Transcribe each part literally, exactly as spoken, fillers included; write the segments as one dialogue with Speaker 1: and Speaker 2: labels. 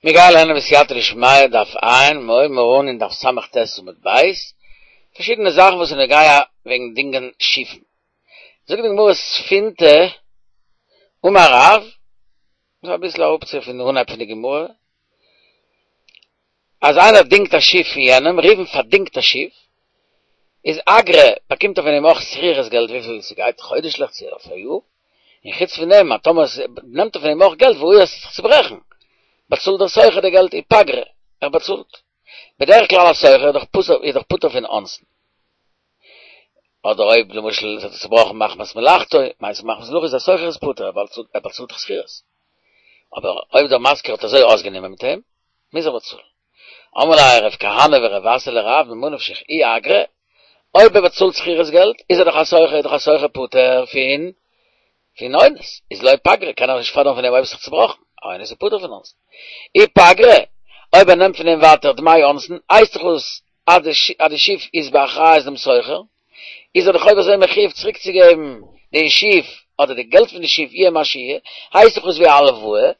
Speaker 1: מיר גייען לערנען בסייעתא דשמיא דף ע', מיר הייבן אן אין דף ס"ט עמוד ב', פארשידענע זאכן וואס איז נוגע וועגן דינגען שיפן. זאגט די גמרא ספינתא אמר רב, דאס איז אביסל אראפצו פון די אנהייב פון די גמרא, אז איינער דינגט א שיף פון יענעם, ראובן פארדינגט א שיף, איז אגרא באקומט ער פון אים אויך שכירות געלט וויפיל ס'גייט חודש'ליך צו אויף א יאר, און חוץ פון דעם אז טאמער נעמט ער פון אים אויך געלט והא עס וועט זיך צוברעכן, באצאלט דער שוכר די געלט ופגרא, ער באצאלט. בדרך כלל א שוכר איז דאך פסול איז דאך פטור פון אונסין. אדער אויב למשל עס האט זיך צובראכן מחמת מלאכתו, מיינסט מחמת מלאכה איז א שוכר איז פטור, ער באצאלט דאך שכירות. אבער אויב דער משכיר האט אזוי אויסגענומען מיט אים, מוז ער באצאלן. אמרו ליה רב כהנא ורב אסי לרב ממה נפשך אי אגרא, אויב ער באצאלט שכירות געלט איז ער דאך א שוכר איז דאך א שוכר פטור פון פון אונס, איז לא פגרא קען ער נישט פאדערן פון אים אויב עס איז זיך צובראכן, א אונס איז פטור פון אונסין. אי פגרא, אויב ער נעמט פון אים ווייטער דמי אונסין, הייסט דאך עס אז די שיף איז באחריות דעם שוכר, איז ער דאך אויב אזוי מחיוב צוריקצוגעבן די שיף אדער די געלט פון די שיף יהיה מה שיהיה, הייסט דאך עס ווי א הלוואה,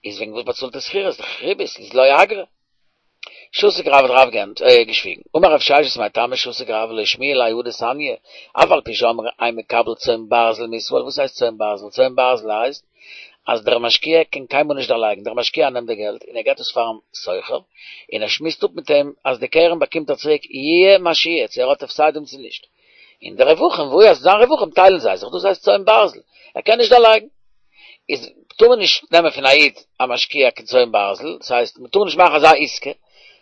Speaker 1: איז וועגן וואס באצאלט ער שכירות? דאך ריבית, איז לא אגרא. שתק רב האט רב געשוויגן. אמר רב ששת מאי טעמא שתק רב לא שמיע ליה הא דתניא, אף על פי שאמרו אין מקבל צאן ברזל מישראל, וואס הייסט צאן ברזל? צאן ברזל הייסט אז דער משקיע קען קיינמאל נישט דערלייגן, דער משקיע נעמט די געלט און ער געבט עס פארן שוכר, און ער שמועסט אפ מיט אים אז די קרן באקומט ער צוריק יהיה מה שיהיה, צו ער האט הפסדים צו נישט. און די רווחים, וואו עס זיין רווחים טיילן זיי זיך, דאס הייסט צאן ברזל, ער קען נישט דערלייגן. איז טאר מען נישט נעמען פון א איד א משקיע קיין צאן ברזל, דאס הייסט מען טאר נישט מאכן אזא עסקה,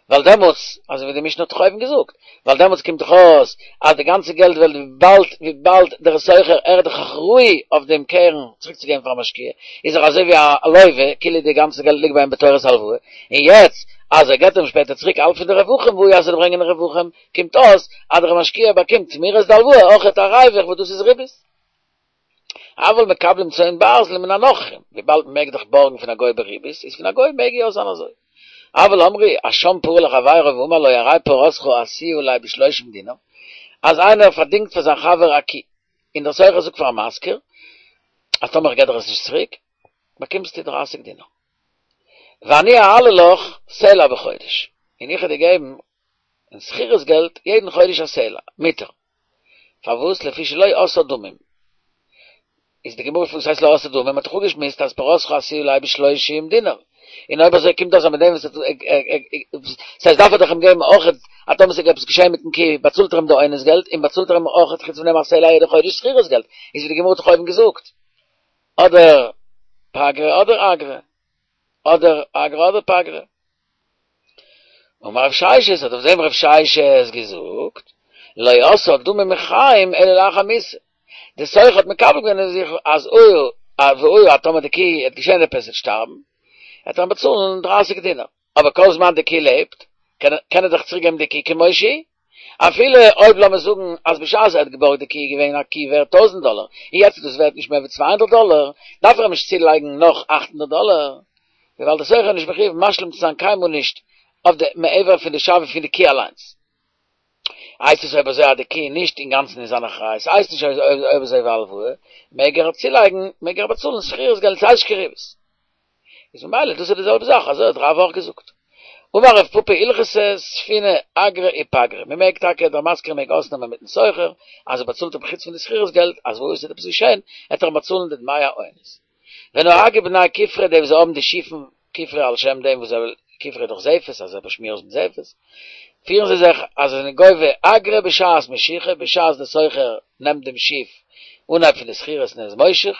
Speaker 1: ווייל דעמאלטס, אזוי ווי די משנה האט דאך אויבן געזאגט, ווייל דעמאלטס קומט דאך אויס אז די גאנצע געלט וועלט וויבאלד וויבאלד דער שוכר ער איז דאך אחראי אויף דעם קרן צוריקצוגעבן פארן משקיע, איז ער אזוי ווי א לוה, כאילו די גאנצע געלט ליגט ביי אים בתורת הלוואה, און יעצט אז ער געבט אים שפעטער צוריק האלב פון די רווחים, וואו אז ער וועט ברענגען רווחים, קומט אויס אז דער משקיע באקומט תמורת די הלוואה אויכעט א ריווח וואס דאס איז ריבית. אבל מקבלים צאן ברזל מן הנוכרים, וויבאלד מען מעג דאך בארגן פון א גוי בריבית, איז פון א גוי מעג יא זיין אזוי. אבל אמרו, אשם פרה לחבירו ואמר לו הרי פרתך עשויה עלי בשלושים דינר, אז איינער פארדינגט פאר זיין חבר א קי, און דער שוכר זאגט פארן משכיר, אז טאמער איך געב דיר עס נישט צוריק, באקומסטו דרייסיג דינר. ואני אעלה לך סלע בחודש, און איך וועל דיר געבן אין שכירות געלט יעדן חודש א סלע, מותר. פארוואס לפי שלא עשה דמים? איז די גמרא וואס הייסט לא עשה דמים? מ'האט דאך אפגעשמועסט אז פרתך עשויה עלי בשלושים דינר, און אויב אזוי קומט אויס אז מיט דעם וואס ס'הייסט דארף ער דאך אים געבן אויך אז טאמער ס'איז עפעס געשען מיטן קי באצאלט ער אים די אונס געלט און באצאלט ער אים אויך חוץ פון דעם א סלע יעדע חודש שכירות געלט, איז ווי די גמרא האט דאך אויבן געזאגט אדער פגרא אדער אגרא אדער אגרא אדער פגרא. אמר רב ששת, האט אויף דעם רב ששת געזאגט, לא עשה דמים מחיים אלא לאחר מיתה. די שוכר האט מקבל געווען אויף זיך אז אויב והיה אז טאמער די קי וועט געשען עפעס וועט שטארבן, וועט ער אים באצאלן דרייסיג דינר. אבער כל זמן די קי לעבט, קען ער דאך צוריק געבן די קי כמו שהיא. אפילו אויב לאמיר זאגן אז בשעת ער האט געבארגט די קי איז געווען א קי ווערט טויזנט דאלער, און יעצט איז דאס ווערט נישט מער ווי צוויי הונדערט דאלער, דארף ער אים נישט צולייגן נאך אכט הונדערט דאלער, וויבאלד דער שוכר איז נישט מחיוב משלים צו זיין קיינמאל נישט אויף די מעבר פון די שווי פון די קי אליינס. הייסט עס אויב אזוי אז די קי איז נישט אינגאנצן אין זיין אחריות, הייסט נישט אויב אזוי ווי הלוואה, מעג ער צולייגן, מעג ער באצאלן שכירות געלט, ס'הייסט נישט קיין ריבית. איז ממילא דאס איז די זעלבע זאך, אזוי האט רב אויך געזאגט. אמר רב פפא הלכתא ספינה אגרא ופגרא, מען מעג טאקע, דער משכיר מעג אויסנעמען מיטן שוכר, אז ער באצאלט אים חוץ פון די שכירות געלט, אז והיה ס'וועט עפעס געשען, וועט ער אים באצאלן די דמי האונס. ונהגי בני כופרי די וואס האבן די שיפן כופרי על שם דעם וואס זיי כופרי איז דאך זפת אז זיי באשמירן עס מיט זפת, פירן זיי זיך אז זיי זענען גובה אגרא בשעת משיכה בשעת דער שוכר נעמט דעם שיף אנהייב פון די שכירות און ער איז מושך,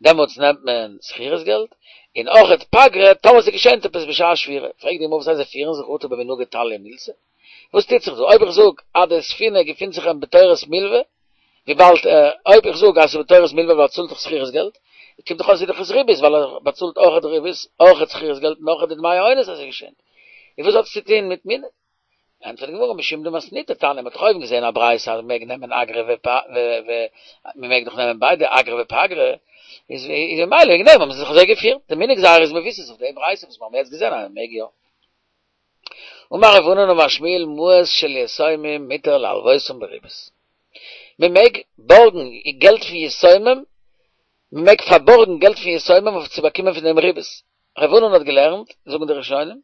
Speaker 1: דעמאלטס נעמט מען שכירות געלט, און אויכעט פגרא טאמער ס'געשענט עפעס בשעת שבירה, פרעגט די גמרא וואס הייסט זיי פירן זיך אטו במנהגא תליא מילתא? וואס טוט זיך דא? אויב איך זאג אז די ספינה געפינט זיך אים בתורת מלווה, וויבאלד אויב איך זאג אז ס'איז בתורת מלווה ווייל ער צאלט דאך שכירות געלט, קומט דאך אויס ס'איז דאך עס ריבית ווייל ער באצאלט אויכעט ריבית, אויכעט שכירות געלט און אויכעט די דמי האונס אז ס'געשענט. און וואס האט עס צו טון מיט מנהג? ענטפערט די גמרא משום דמתניתא תניא, מ'האט דאך אויבן געזען א ברייתא אז מ'מעג נעמען אגרא ופ ו מ'מעג דאך נעמען ביידע אגרא ופגרא, איז ממילא וועגן דעם האבן זיי זיך אזוי געפירט, די מנהג זייער איז מבוסס אויף די ברייתא וואס מיר האבן יעצט געזען אז מ'מעג יא. אמר רב ענן אמר שמואל מעות של יתומים מותר להלוותם בריבית. מען מעג בארגן געלט פון יתומים, מען מעג פארבארגן געלט פון יתומים אויף צו באקומען פון דעם ריבית. רב ענן האט געלערנט, זאגן די ראשונים,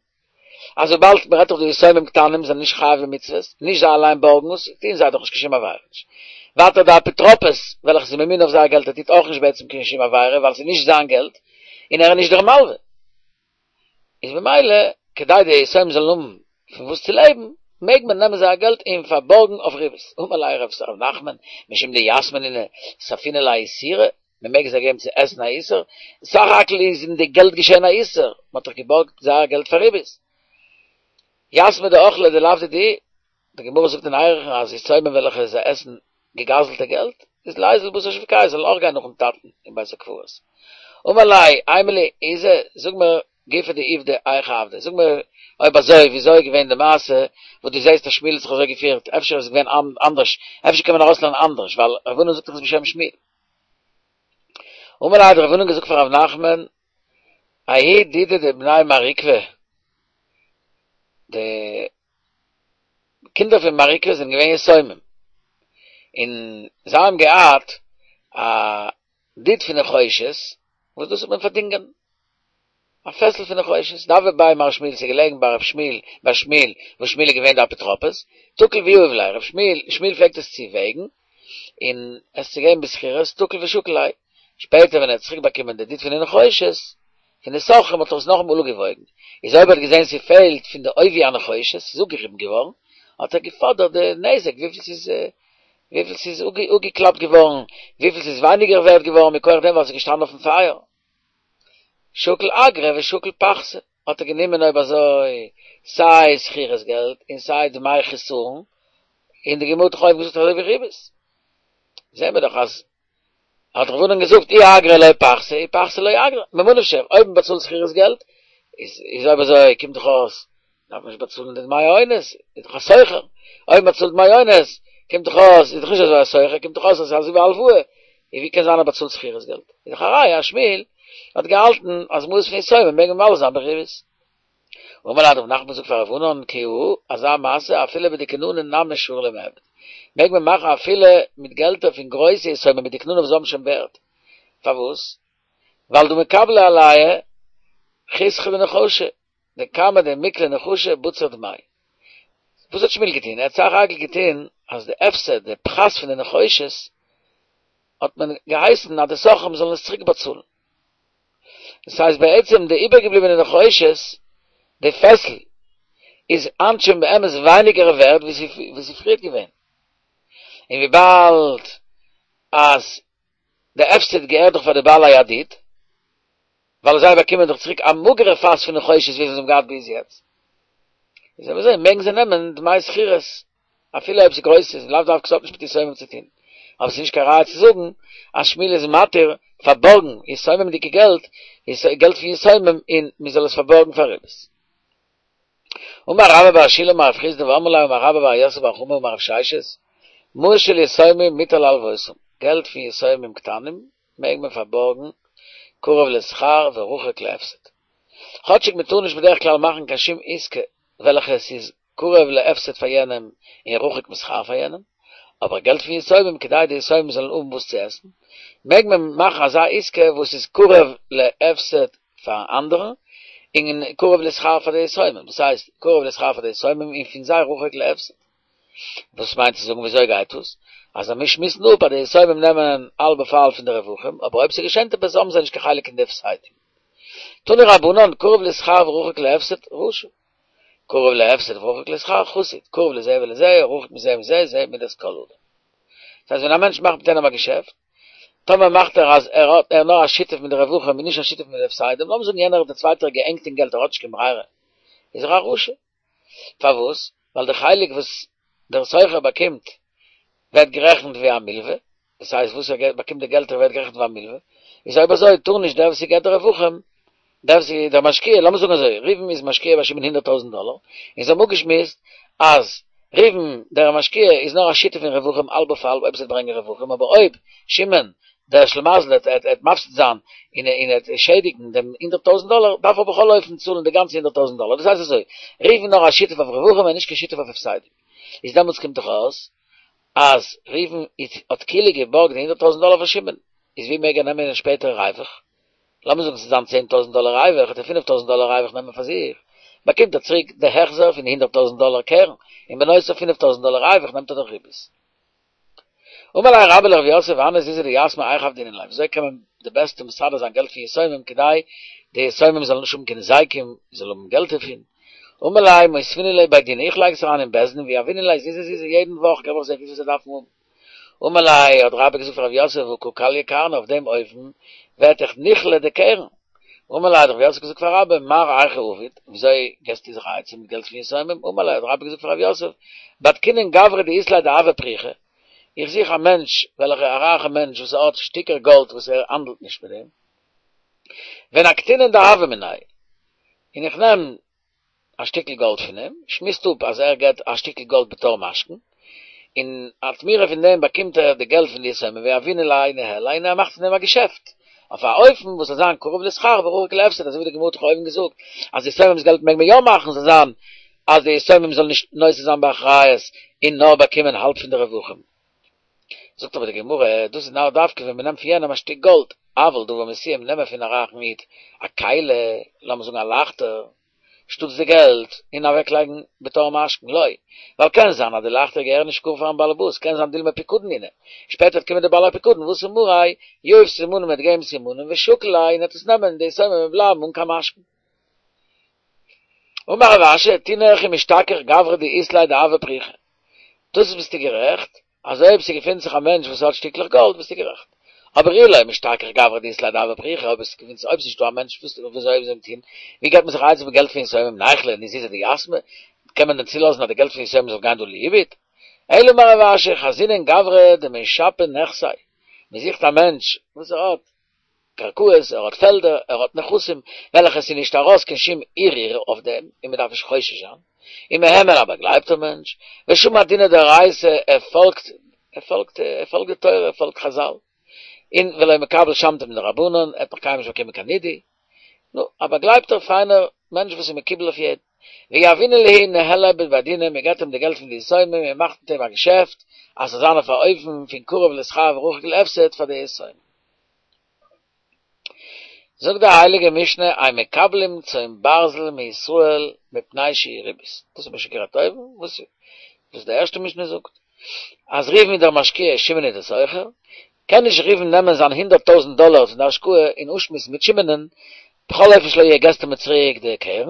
Speaker 1: אז וויבאלד מ'רעדט דאך דא יתומים קטנים זענען נישט חייב במצוות, נישט זיי אליין בארגן עס, טוען זיי דאך נישט קיין שום עבירה נישט. ווייטער די אפוטרופוס וועלכע איז ממונה אויף זייער געלט ער טוט אויך נישט בעצם קיין שום עבירה ווייל ס'איז נישט זיין געלט און ער איז נישט דער מלווה. איז ממילא כדי די יתומים זאלן האבן פון וואס צו לעבן מעג מען נעמען זייער געלט און פארבארגן אויף ריבית. אמר ליה רב נחמן משום דיתמי נינהו ספינן להו איסורא, מען מעג זיי געבן צו עסן א איסור, סך הכל איז אין די געלט געשען א איסור, מען האט דאך געבארגט זייער געלט פאר ריבית. יתמי דאכלי דלאו דידהו, די גמרא זאגט אין ערכין אז יתומים וועלכע זיי עסן געגזלטע געלט, איז ליזיל בתר שווקייא זאלן אויך גיין נאכן טאטן אין בית הקברות. אמר ליה, אימא לי איזי, זאג מיר גופא דעובדא היכי עבדי, זאג מיר אויב אזוי וויאזוי איז געווען די מעשה וואס דו זעסט אז שמואל האט זיך אזוי געפירט, אפשר איז עס געווען אנדערש, אפשר קען מען ארויסלערנען אנדערש, ווייל רב ענן זאגט דאך עס בשם שמואל. אמר ליה האט רב ענן געזאגט פאר רב נחמן, ההוא דידא דבני מר עוקבא, די קינדער פון מר עוקבא זענען געווען יתומים, און זיי האבן געהאט א דיד פון נחושת, וואס דאס האט מען פארדינגען, א פעסל פון נחושת, דהוה בי מר שמואל, ס'איז געלעגן ביי רב שמואל, ביי שמואל, וואס שמואל איז געווען די אפוטרופוס, תקיל ויהיב ליה, רב שמואל, שמואל פלעגט עס צו וועגן, און עס צו געבן בשכירות, תקיל ושקיל ליה, שפעטער ווען ער האט צוריק באקומען די דיד פון די נחושת, פון די סוחרים האט ער עס נאכאמאל אפגעוואויגן, איז אויב ער האט געזען ס'פעלט פון די עובי הנחושת, ס'איז אפגעריבן געווארן, האט ער געפאדערט די נזק וויפיל ס'איז וויפיל ס'איז אפגעקלאפט געווארן, וויפיל ס'איז ווייניגער ווערט געווארן מכח דעם ווייל ס'איז געשטאנען אויפן פייער. שקל אגרא ושקל פחתא, האט ער גענומען אויב אזוי סיי שכירות געלט און סיי דמי חסרון, און די גמרא האט דאך אויבן געזאגט אזוי ווי ריבית, זעהן מיר דאך אז האט רב ענן געזאגט אי אגרא לא פחתא אי פחתא לא אגרא, ממה נפשך, אויב מען באצאלט שכירות געלט, איז איז אויב אזוי קומט דאך אויס דארף מען נישט באצאלן די דמי אונס, איז דאך א סוחר, אויב מען באצאלט דמי אונס, קומט דאך אויס, איז דאך נישט אזוי א סוחר, קומט דאך אויס אז עס איז אזוי ווי א הלוואה, און ווי קען זיין ער באצאלט שכירות געלט? איז דאך א ראיה אז שמואל האט געהאלטן אז מעות פון יתומים מעג מען מלווה זיין בריבית. אמר ליה האט רב נחמן געזאגט פאר רב ענן כי הא, אזא מעשה אפילו בדקננא נמי שרי למיעבד, מעג מען מאכן אפילו מיט געלטער פון גרויסע יתומים מיט דקננא וואס האבן שוין ווערט, פארוואס? ווייל דהא מקבלי עלייהו חיסכא דנחושא, דכמה דמיקלי נחושא בציר דמי. וואס האט שמואל געטון? ער האט סך הכל געטון אז די הפסד, די פחת פון די נחושת, האט מען געהייסן אז די סוחרים זאלן עס צוריק באצאלן. דאס הייסט בעצם די איבערגעבליבענע נחושת, די פעסל, איז היינט שוין באמת ווייניגער ווערד ווי ס'איז פריערט געווען. און וויבאלד אז די הפסד געהערט דאך פאר די בעלי הדיד, ווייל זיי באקומען דאך צוריק א מאגערע פאס פון נחושת ווי זיי האבן געהאט ביז יעצט, איז אויב אזוי מעגן זיי נעמען דמי שכירות, אפילו אויב ס'איז גרויס איז לאו דווקא ס'האט נישט מיט יתומים צו טון, אבער ס'איז נישט קיין ראיה צו זאגן אז שמואל איז מתיר פארבארגן יתומים'דיגע געלט, געלט פון יתומים און מ'זאל עס פארבארגן פאר ריבית. אמר רבה בר שילא אמר רב חסדא ואמרי לה אמר רבה בר יוסף בר חמא אמר רב ששת, מעות של יתומים מותר להלוותם, געלט פון יתומים קטנים מעג מען פארבארגן קרוב לשכר ורחוק להפסד. כאטשיג מען טאר נישט בדרך כלל מאכן קיין שום עסקה וועלכע עס איז קרוב להפסד פאר יענעם און רחוק משכר פאר יענעם, אבער געלט פון יתומים כדי די יתומים זאלן האבן וואס צו עסן, מעג מען מאכן אזא עסקה וואס איז קרוב להפסד פארן אנדערן און קרוב לשכר פאר די יתומים, דאס הייסט קרוב לשכר פאר די יתומים און פון זיי רחוק להפסד. וואס מיינט צו זאגן וויאזוי גייט דאס? אז מיר שמועסן אפ אז די יתומים נעמען האלב אויף האלב פון די רווחים, אבער אויב ס'געשענט עפעס האבן זיי נישט קיין חלק אין די הפסדים. תנו רבנן, קרוב לשכר ורחוק להפסד, רשע. קרוב להפסד ורחוק לשכר, חסיד. קרוב לזה ולזה, רחוק מזה ומזה, זה מידת כל אדם. דאס הייסט ווען א מענטש מאכט מיט איינעם א געשעפט, טאמער מאכט ער אז ער האט ער נאר א שותף מיט די רווחים און נישט א שותף מיט די הפסדים, לאמיר זאגן יענער דער צווייטער איז געענגט אין געלט ער האט נישט קיין ברירה, איז ער א רשע. פארוואס? ווייל די חלק וואס דער סוחר באקומט ווערט גערעכנט ווי א מלווה, דאס הייסט וואס ער באקומט די געלטער ווערט גערעכנט ווי א מלווה, איז אויב אזוי טאר נישט דער וואס געבט די רווחים, דער וואס איז דער משקיע, לאמיר זאגן אזוי, ראובן איז משקיע ביי שמעון הונדערט טויזנט דאלער, און זיי האבן אפגעשמועסט אז ראובן דער משקיע איז נאר א שותף אין רווחים האלב אויף האלב אויב עס וועט ברענגען רווחים, אבער אויב שמעון דער שלימזל וועט וועט מפסיד זיין און און וועט שעדיגן דעם הונדערט טויזנט דאלער, דארף ער בכל אופן צאלן די גאנצע הונדערט טויזנט דאלער. דאס הייסט אזוי, ראובן נאר א שותף אויף רווחים און נישט קיין שותף אויף הפסדים. איז דעמאלטס קומט דאך אויס אז ראובן האט כאילו געבארגט די הונדערט טויזנט דאלער פון שמעון, איז ווי מעג ער נעמען שפעטער ריווח? לאמיר זאגן ס'איז זיין צען טויזנט דאלער ריווח, וועט ער פינף טויזנט דאלער ריווח נעמען פאר זיך, באקומט ער צוריק די החזר פון די הונדערט טויזנט דאלער קרן, און בנוסף פינף טויזנט דאלער ריווח נעמט ער דורך ריבית. אמר ליה רבה לרב יוסף הני זוזי דיתמי היכי עבדינן להו, וויאזוי קען מען די בעסטע מסדר זיין געלט פון יתומים כדי די יתומים זאלן נישט האבן קיין היזקים, זאלן האבן געלט דערפון, אמר ליה מותבינהו לבי דינא, איך לייג עס אריין אין בית דין ויהבינן להו זוזי זוזי יעדן וואך געב איך זיי וויפיל זיי דארפן האבן. אמר ליה האט רבה געזאגט פאר רב יוסף הא קא כליא קרנא אויף דעם אופן ווערט דאך נכלה די קרן. אמר ליה האט רב יוסף געזאגט פאר רבה מר היכי עביד, וויאזוי געסטו זיך א עצה מיט געלט פון יתומים, אמר ליה האט רבה געזאגט פאר רב יוסף בדקינן גברא דאית ליה דהבא פריחא, איך זוך א מענטש וועלכע א רייכע מענטש וואס האט שטיקער גאלד וואס ער האנדלט נישט מיט דעם, ונקטינן דהבא מיניה, און איך נעם א שטיקל גאלד פון אים, שמועסט אפ אז ער געט א שטיקל גאלד בתור משכון, און א תמורה פון דעם באקומט ער די געלט פון די יתומים ויהבינן ליה ניהליה און ער מאכט פון דעם א געשעפט, אויף א אופן וואס זאל זיין קרוב לשכר ורחוק להפסד, אזוי ווי די גמרא האט דאך אויבן געזאגט אז יתומים'ס געלט מעג מען יא מאכן זאל זיין אז די יתומים זאלן נישט נושא זיין באחריות און נאר באקומען האלב פון די רווחים. זאגט אבער די גמרא, דאס איז נאר דווקא ווען מען נעמט פון יענעם א שטיק גאלד, אבל דבר מסוים נעמען פון א רייכן איד א כלי, לאמיר זאגן א לייכטער, שטאטס די געלט, און אוועקלייגן בתור משכון, לא, ווייל קען זיין אז די לייכטער געהערן נישט גאר פארן באלעבאס, קען זיין דילמא פיקדון נינהו, שפעטער וועט קומען די בעל הפיקדון ואתי מאריה, יהיב סימנים וועט געבן סימנים ושקיל ליה און ער וועט עס נעמען און די יתומים וועלן בלייבן אן קיין משכון. אמר רב אשי, תינח אם אשתכח גברא דאית ליה דהבא פריחא. דאס ביסטו גערעכט, אז אויב ס'געפינט זיך א מענטש וואס האט שטיקלעך גאלד ביסטו גערעכט. אבער אי לא משתכח גברא דאית ליה דהבא פריחא, אויב עס געפינט זיך אויב ס'נישטא א מענטש וואס וויאזוי זאל מען טון, ווי געבט מען זיך א עצה מיט געלט פון יתומים ניכלה זוזי דיתמי, קען מען דען צולאזן אז די געלט פון יתומים זאל גיין דא לאיבוד? אלא אמר רב אשי חזינן גברא דמשפע נכסי, מ'זוכט א מענטש וואס ער האט קרקעות, ער האט פעלדער, ער האט נכסים, וועלכע עס איז נישט ארויס קיין שום ערעור אויף דעם, און מען דארף נישט חושש זיין, ומהימן א באגלייבטער מענטש, ושמע דינא דאורייתא, ער פאלגט, ער פאלגט, ער פאלגט די תורה, ער פאלגט חזל, און ולא מקבל שמתא מן דרבנן, ער האט נאך קיינמאל נישט באקומען קיין נידוי, נו, א באגלייבטער פיינער מענטש וואס איז מקובל אויף יעדן. ויהבינן להו ניהליה בבי דינא, מען געבט אים די געלט פון די יתומים און מאכט מיט אים א געשעפט, אז ס'זאל זיין אויף א אופן פון קרוב לשכר ורחוק להפסד פאר די יתומים. זאגט די הייליגע משנה אין מקבלים צאן ברזל מישראל מפני שהיא ריבית, דאס האט מען שוין גערעדט אויבן, וואס וואס די ערשטע משנה זאגט, אז ראובן איז דער משקיע שמעון איז דער שוכר, קען נישט ראובן נעמען זיין הונדערט טויזנט דאלער פון די השקעה און אפשמועסן מיט שמעונ'ן, בכל אופן שלא יהיה געסטו מיר צוריק די קרן,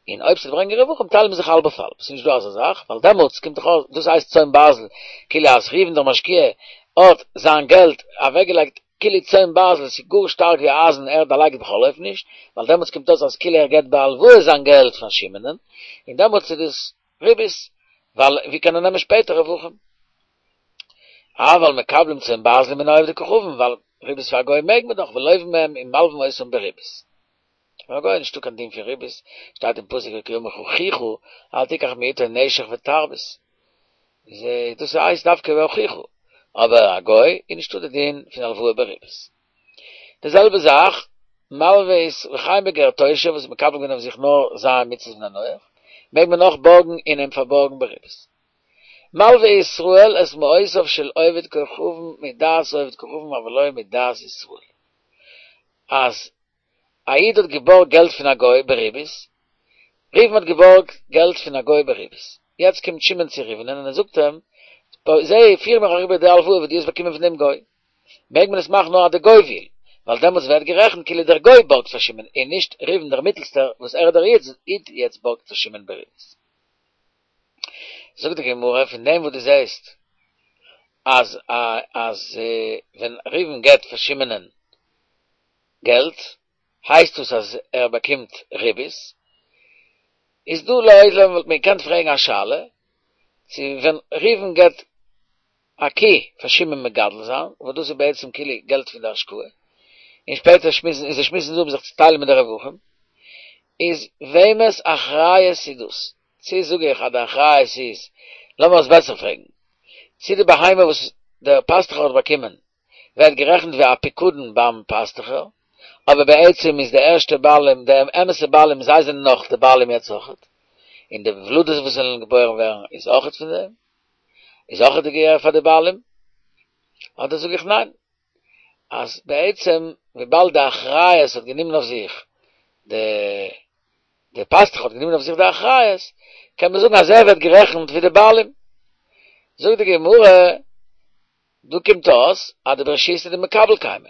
Speaker 1: און אויב ס'וועט ברענגען רווחים טיילן מיר זיך האלב אויף האלב, ס'איז נישט דא אזא זאך, ווייל דעמאלטס קומט דאך אויס, דאס הייסט צאן ברזל, כאילו אז ראובן דער משקיע האט זיין געלט אוועקגעלייגט כאילו צאן ברזל, ס'איז גאר שטארק ווי אייזן, ער דערלייגט בכל אופן נישט, ווייל דעמאלטס קומט אויס אז כאילו ער געבט בהלוואה זיין געלט פאר שמעונ'ן, און דעמאלטס איז דאס ריבית, ווייל ווי קען ער נעמען שפעטער רווחים? אבל מקבלים צאן ברזל מן העובדי כוכבים, ווייל ריבית פאר א גוי מעג מען דאך, ולווין מהם און מלווין אותם בריבית. פאר א גוי איז נישטא קיין דין פון ריבית, שטייט אין פסוק כי אמר לך אחיך אל תיקח מאתו נשך ותרבית, איז דאס הייסט דווקא ביי אחיך, אבער א גוי איז נישטא די דין פון הלוואה בריבית. די זעלבע זאך מלוה איז וכן בגר תושב וואס איז מקבל געווען אויף זיך נאר ז' מצוות בני נח, מעג מען אויך בארגן און אים פארבארגן בריבית. מלוה ישראל את מעותיו של עובד כוכבים מדעת עובד כוכבים אבל לא מדעת ישראל. אז א איד האט געבארגט געלט פון א גוי בריבית, ראובן האט געבארגט געלט פון א גוי בריבית, יעצט קומט שמעון צו ראובנ'ען און ער זאגט אים, זע, פיר מיר אריבער די הלוואה וואס דו האסט באקומען פון דעם גוי. מעג מען עס מאכן נאר אז דער גוי וויל, ווייל דעמאלטס ווערט גערעכנט כאילו דער גוי בארגט פאר שמעון און נישט ראובן דער מיטלסטער וואס ער איז דער איד יעצט בארגט פאר שמעון בריבית. זאגט די גמרא פון דעם וואס דו זעסט אז אז ווען ראובן געבט פאר שמעונ'ען געלט הייסט דאס אז ער באקומט ריבית, איז דא לעולם וואלט מען געקענט פרעגן א שאלה צו ווען ראובן געבט א קי פאר שמעון מגדל זיין, וואס דאס איז בעצם כאילו געלט פון די השקעה, און שפעטער שמועסן און זיי שמועסן זיך אפ זיך צו טיילן מיט די רווחים, איז וועמענס אחריות איז דאס? צו זאג איך אז די אחריות איז, לאמיר עס בעסער פרעגן, צו די בהמה וואס דער פאסטוכער האט באקומען ווערט גערעכנט ווי א פיקדון ביים פאסטוכער, אבער בעצם איז די ערשטע בעלים, די אמת'ע בעלים, זיי זענען נאך די בעלים יעצט אויכעט, און די ולדות וואס וועלן געבוירן ווערן איז אויכעט פון דעם, איז אויכעט די געהער פאר די בעלים, אדער זאג איך ניין, אז בעצם וויבאלד די אחריות האט גענומען אויף זיך די די פאסטוך האט גענומען אויף זיך די אחריות, קען מען זאגן אז ער ווערט גערעכנט ווי די בעלים. זאגט די גמרא, דא קומט אויס אז דברשותא דמקבל קיימא,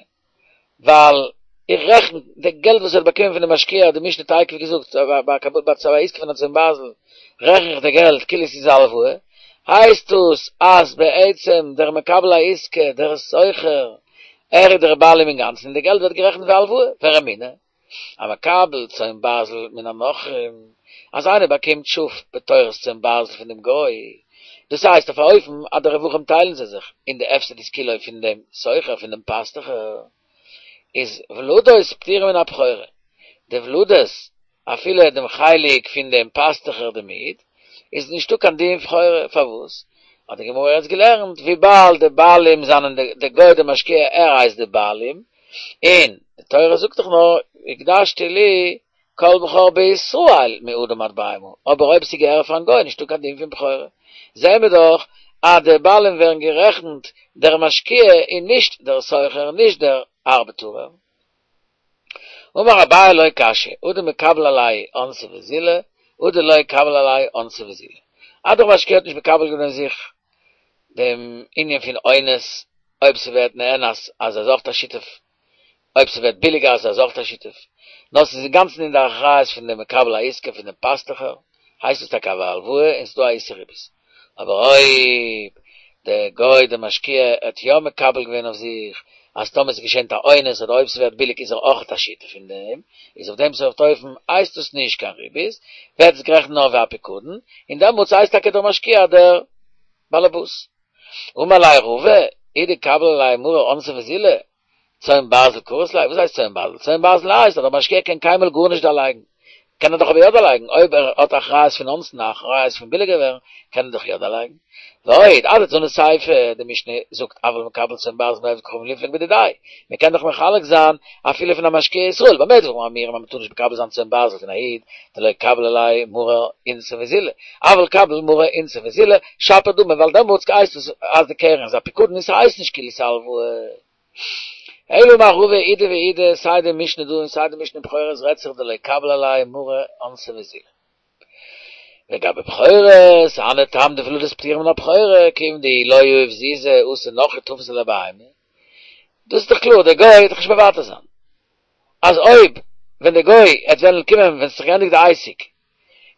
Speaker 1: ווייל איך רעכן די געלט וואס ער האט באקומען פון די משקיע האט די משנה תיכף געזאגט ביי א עסקה פון א צאן ברזל רעכן איך די געלט כאילו ס'איז א הלוואה, הייסט דאס אז בעצם דער מקבל העסקה, דער שוכר, ער איז דער בעלים אינגאנצן און די געלט ווערט גערעכנט ווי א הלוואה, ורמינהי, המקבל צאן ברזל מן הנכרים, אז איינער באקומט שאף בתורת צאן ברזל פון דעם גוי, דאס הייסט אויף א אופן אז די רווחים טיילן זיי זיך, און די הפסד איז כולו פון דעם שוכר, פון דעם פאסטוכער, איז ולדות פטורין מן הבכורה, די ולדות, אפילו דעם חלק פון דעם פאסטוכער דעם איד, איז נישטא קיין דין בכורה, פארוואס? האט די גמרא יעצט געלערנט, וויבאלד די בעלים זענען די גוי די משקיע ער הייסט די בעלים, און די תורה זאגט דאך נאר הקדשתי לי כל בכור בישראל מאדם עד בהמה, אבער אויב ס'געהער פארן גוי נישטא קיין דין פון בכורה, זעהן מיר דאך אז די בעלים ווערן גערעכנט דער משקיע און נישט דער שוכר נישט דער ארבעטארער. אמר אביי לא קשיא, הא דמקבל עליה אונסא וזילא, הא דלא קביל עליה אונסא וזילא. אז דער משקיע האט נישט מקבל געווען זיך דעם ענין פון אונס, אויב ס'ווערט נאנס אז ער איז אויך א שותף, אויב ס'ווערט ביליגער אז ער איז אויך א שותף, נאר ס'איז אינגאנצן אין די אחריות פון דעם מקבל העסקה פון דעם פאסטוכער, הייסט עס טאקע א הלוואה און ס'דא א איסור ריבית. אבער אויב דער גוי דער משקיע האט יא מקבל געווען אויף זיך אז טאמער ס'געשענט א אונס אדער אויב ס'ווערט ביליג איז ער אויך א שותף אין דעם, איז אויף דעם סארט אופן הייסט עס נישט קיין ריבית, ווערט עס גערעכנט נאר ווי א פיקדון, און דעמאלטס הייסט טאקע דער משקיע דער באלעבאס. אמר ליה רבא, אי דקביל עליה מרא אונסא וזילא, צאן ברזל קרית ליה, וואס הייסט צאן ברזל? צאן ברזל הייסט אז דער משקיע קען קיינמאל גארנישט דערלייגן. קען ער דאך אבער יא דערלייגן, אויב ער האט אחריות פון אונסין, א אחריות פון ביליגער ווערן, קען ער דאך יא דערלייגן. ועוד, אדתני סיפא, די משנה זאגט אבל מקבל צאן ברזל מעובד כוכבים ליפלוג בדידיה, מען קען דאך מחלק זיין אפילו פון א משקיע ישראל, במה דברים אמורים אז מען טאר נישט מקבל זיין צאן ברזל פון א איד, דלא קביל עליה מרא אונסא וזילא, אבל קביל מרא אונסא וזילא, שפיר דמי, ווייל דעמאלטס הייסט עס אז די קרן איז א פיקדון און ס'הייסט נישט כאילו ס'איז א הלוואה. אלא אמר רבא אידי ואידי, סיי די משנה דא און סיי די משנה אין בכורות רעדט זיך דלא קביל עליה מרא אונסא וזילא. לגבי בכורות, הני טעם דולדות פטורין מן הבכורה, כיוון דאי לא יהיב זוזי אתי נכרי תפיס ליה בהמה. דאס איז דאך קלאר, דער גוי וועט דאך נישט מוותר זיין. אז אויב ווען דער גוי העט וועלן קומען ווען ס'האט זיך געענדיגט די עסק,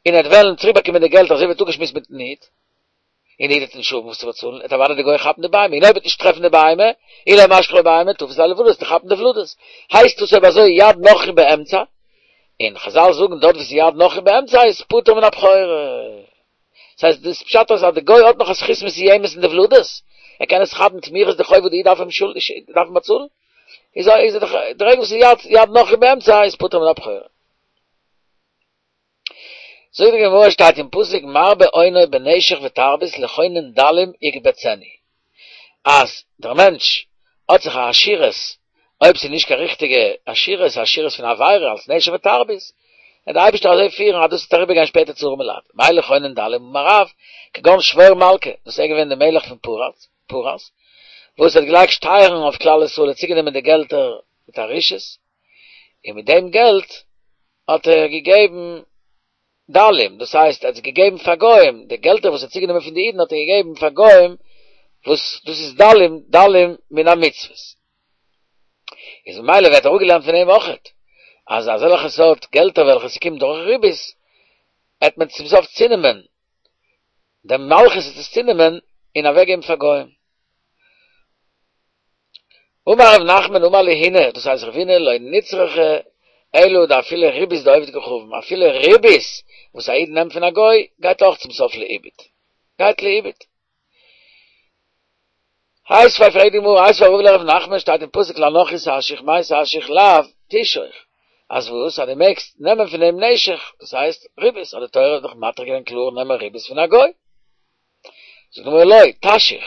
Speaker 1: און ער העט וועלן צוריקבאקומען די געלט אזוי ווי ער האט אפגעשמועסט מיטן איד, און דער איד וועט נישט האבן וואס צו באצאלן, וועט אוודאי דער גוי כאפן די בהמה, און אויב ער וועט נישט טרעפן די בהמה, אי לא משכח ליה בהמה, תפיס ליה לולדות, וועט ער כאפן די ולדות. הייסט דאס אויב אזוי יד נכרי באמצע, און חזל זאגן דארט וואו ס'איז יד נכרי באמצע איז פטור מן הבכורה. דאס הייסט דאס פשט אז די גוי האט נאך א זכות מסוימת אין די ולדות, ער קען עס כאפן תמורת די חוב וואס די איד דארף אים דארף אים באצאלן, איז איז דאך די רגע וואס ס'איז יד יד נכרי באמצע איז פטור מן הבכורה. זאגט די גמרא שטייט אין פסוק מרבה אונו בנשך ותרבית לחונן דלים יקבצנו אז דער מענטש האט זיך א עשירות אויב ס'איז נישט קיין ריכטיגע עשירות א עשירות פון עבירה אלס נשך ותרבית וועט דער אייבערשטער אזוי פירן אז דאס וועט אריבערגיין שפעטער צו ארעמע לייט מאי לחונן דלים אמר רב כגון שבור מלכא דאס איז געווען דער מלך פון פרס פרס וואס האט געלייגט שטייערן אויף כלל ישראל האט צוגענומען די געלטער מיט א רשעות און מיט דעם געלט האט ער געגעבן דלים, דאס הייסט ער האט עס געגעבן פאר גוים, די געלטער וואס ער האט צוגענומען פון די אידן האט ער געגעבן פאר גוים, וואס דאס איז דלים, דלים מן המצוות. איז ממילא ווערט אראפגעלערנט פון אים אויכעט, אז אזעלכע סארט געלטער וועלכע ס'קומט דורך ריבית, העט מען צום סוף צונעמען, די מלכות העט עס צונעמען און אוועקגעבן פאר גוים. אמר רב נחמן אמר לי הונא, דאס הייסט רב הונא לא נצרכה אלא דאפילו ריבית דעובד כוכבים, אפילו ריבית וואס א איד נעמט פון א גוי גייט אויך צום סוף לאיבוד, גייט לאיבוד. איתיביה פרעגט די גמרא, איתיביה רבא לרב נחמן שטייט אין פסוק לנכרי תשיך מאי תשיך לאו תשוך, אז וואס אז דו מעגסט נעמען פון אים נשך, דאס הייסט ריבית, האט די תורה דאך מתיר געווען קלאר נעמען ריבית פון א גוי. זאגט די גמרא לא, תשיך,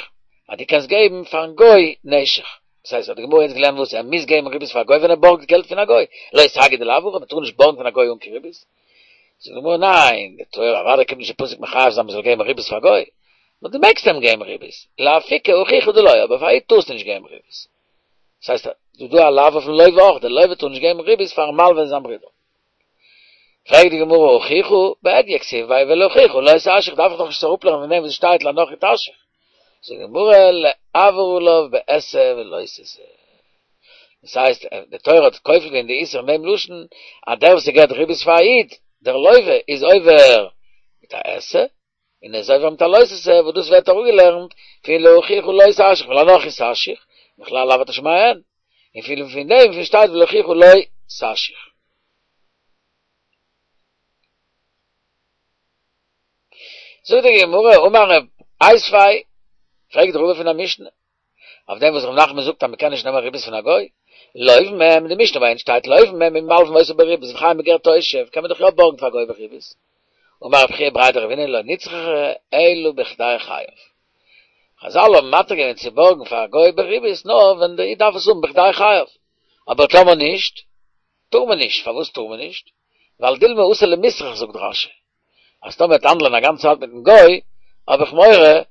Speaker 1: אז דו קענסט געבן פארן גוי נשך, דאס הייסט האט די גמרא יעצט געלערנט וואס ער מוז געבן ריבית פאר א גוי ווען ער בארגט געלט פון א גוי, לא סגי דלאו הכי, מען טאר נישט בארגן פון א גוי אן קיין ריבית, זאגט די גמרא ניין, די תורה אוודאי קומט נישט די פסוק מחייב זיין מען זאל געבן ריבית פאר א גוי, נאר דו מעגסט אים געבן ריבית, לאפוקי אחיך דלא, אבער פאר א איד טארסטו נישט געבן ריבית. דאס הייסט, דא דא א לאו אויפן לוה אויך, דער לוה טאר נישט געבן ריבית פארן מלווה זיין ברודער. פרעגט די גמרא אחיך, בהדיא כתיב ביה ולאחיך לא תשאיך, דארף איך דאך נישט אראפלערנען פון דעם וואס שטייט לנכרי תשאיך. זאגט די גמרא לעבור עליו בעשה ולא תעשה. דאס הייסט, די תורה האט כופל געווען די איסור אין דעם לשון, אז דער וואס געבט ריבית פאר א איד, דער לוה, איז עובר מיט א עשה, און ער איז עובר מיט א לא תעשה, וואס דאס ווערט אראפגעלערנט פון לאחיך לא תשאיך ולנכרי תשאיך, מכלל לאו אתה שומע הן, און פון פון דעם וואס שטייט ולאחיך לא תשאיך. זאגט די גמרא, אמר רב איתיביה, פרעגט רבא פון א משנה, אויף דעם וואס רב נחמן זאגט אז מען קען נישט נעמען ריבית פון א גוי, לווים הם, די משנה ביי אונז שטייט לווים הם אם מלווין אותו בריבית וחיים בגר תושב, קען מען דאך יא בארגן פאר א גוי בריבית. אמר רב חייא בריה דרבינא לא נצרכה אלא בכדי חייו. חזל האבן מתיר געווען צו בארגן פאר א גוי בריבית נאר ווען דער איד דארף עס האבן בכדי חייו, אבער טאמער נישט, טאר מען נישט, פארוואס טאר מען נישט? ווייל דילמא אתי למיסרך זאגט רשי, אז טאמער ער וועט האנדלען א גאנצע צייט מיטן גוי, האב איך מורא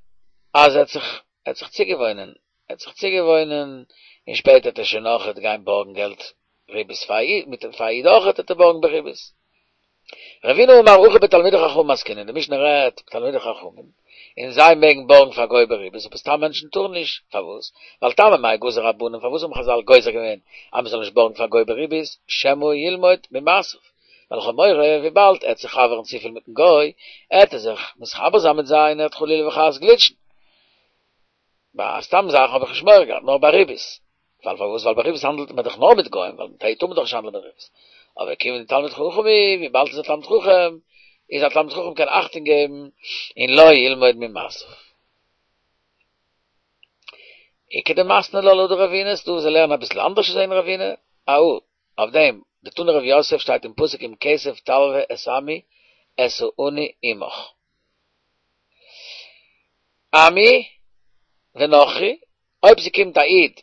Speaker 1: אז ער וועט זיך ער וועט זיך צוגעוואוינען, ער וועט זיך צוגעוואוינען, און שפעטער וועט ער שוין אויכעט גיין בארגן געלט ריבית פאר א איד, מיט פאר א איד אויכעט וועט ער בארגן בריבית. רבינא אמר הכא בתלמידי חכמים עסקינן, די משנה רעדט בתלמידי חכמים, און זיי מעגן בארגן פאר גוי בריבית, אבער סתם מענטשן טארן נישט, פארוואס? ווייל טעמא מאי גזור רבנן, פארוואס האבן חזל גוזר געווען אז מען זאל נישט בארגן פאר גוי בריבית, שמא ילמוד ממעשיו, ווייל איך האב מורא וויבאלד ער וועט זיך חבר'ן צופיל מיטן גוי, עט ער זיך מתחבר זיין מיט זיי און ער וועט חלילה וחס גליטשן. ביי סתם זאכן האב איך נישט מורא געהאט, נאר ביי ריבית. ווייל פארוואס? ווייל ביי ריבית האנדלט מען דאך נאר מיט גוים, ווייל מיט א איד טאר מען דאך נישט האנדלען מיט ריבית. אבער כיוון דתלמיד חכם הוא, וויבאלד ער איז א תלמיד חכם, איז א תלמיד חכם קען אכטונג געבן און לא ילמוד ממעשיו. איכא דמתני לה לדרבינא, ס'דא וואס זיי לערנען אביסל אנדערש אזוי אין רבינא, אהא, אויף דעם, דתני רב יוסף שטייט אין פסוק אם כסף תלוה את עמי את העני עמך. עמי ונכרי, אויב ס'קומט א איד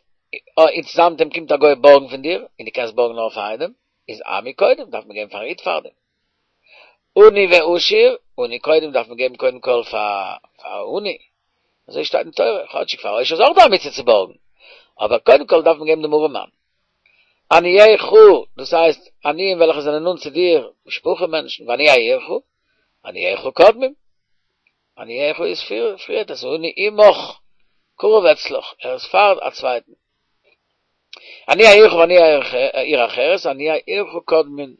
Speaker 1: און צוזאמען מיט אים קומט א גוי בארגן פון דיר, און דו קענסט בארגן נאר פאר איינעם, איז עמי קודם, דארף מען געבן פארן איד פארדעם. עני ועשיר, עני קודם דארף מען געבן קודם כל פאר עני, אזוי שטייט אין תורה, כאטשיג פאר עושר איז אויך דא א מצוה צו בארגן, אבער קודם כל דארף מען געבן דעם ארעמאן. עניך, דאס הייסט עניים וועלכע זענען נאנט צו דיר, משפחה מענטשן, ועניי עירך, עניך קודמים, עניך איז פריער, את העני עמך, קרוב אצלך, ער איז פאר א צווייטן. עניי עירך ועניי עיר אחרת, עניי עירך קודמין,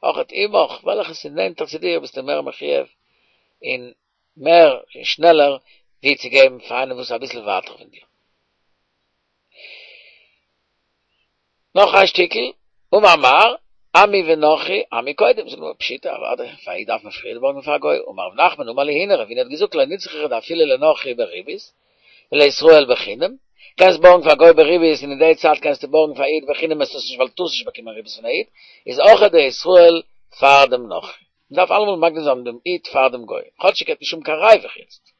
Speaker 1: אויכעט עמך, וועלכעס איז נענטער צו דיר ביסטו מער מחויב און מער און שנעלער ווי צו געבן פאר איינעם וואס איז אביסל ווייטער פון דיר. נאך איין שטיקל, אמר מר, עמי ונכרי, עמי קודם, זאגט די גמרא פשיטא, אוודאי, פאר א איד דארף מען פריער בארגן פאר א גוי, אמר רב נחמן אמר לי הונא, רב הונא האט געזאגט לא נצרכא דאפילו לנכרי בריבית, ולישראל בחינם, קענסט בארגן פאר א גוי בריבית און אין די צייט קענסטו בארגן פאר א איד בחינם עסט עס נישט ווייל דו טארסט נישט באקומען ריבית פון א איד, איז אויך די ישראל פאר דעם נכרי. מען דארף אלעמאל מקדים זיין דעם איד פאר דעם גוי, כאטשיג ער האט נישט שום קיין ריווח יעצט.